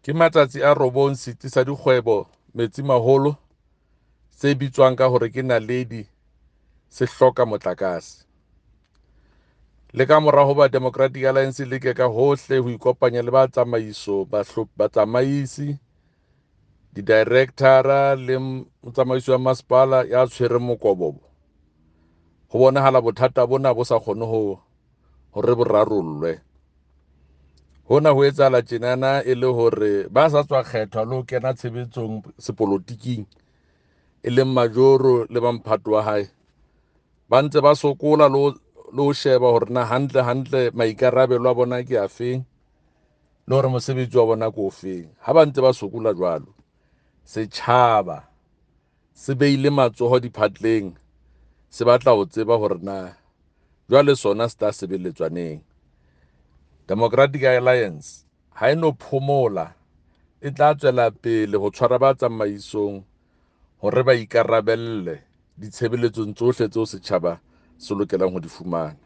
Ke matsatsi a robong setsi sa dikgwebo Metsimaholo se bitswang ka hore ke Naledi se hloka motlakase. Le ka mora hoba Democratic Alliance e leke ka hohle ho ikopanya le ba tsamaiso, batsamaisi, di-director-a le motsamaisi wa masepala ya tshwereng mokobobo, ho bonahala bothata bona bo sa kgone ho hore bo rarollwe. Hona ho etsahala tjenana e le hore ba sa tswa kgethwa le ho kena tshebetsong sepolotiking, e leng Majoro le ba mphato wa hae, ba ntse ba sokola le ho sheba hore na hantle hantle maikarabelo a bona ke afeng le hore mosebetsi wa bona ke ofeng. Ha ba ntse ba sokola jwalo, setjhaba se beile matsoho diphatleng, se batla ho tseba hore na jwale sona se tla sebeletswa neng. Democratic Alliance ha e no phomola, e tla tswela pele ho tshwara ba tsamaisong hore ba ikarabelle ditshebeletsong tsohle tseo setjhaba se lokelang ho di fumana.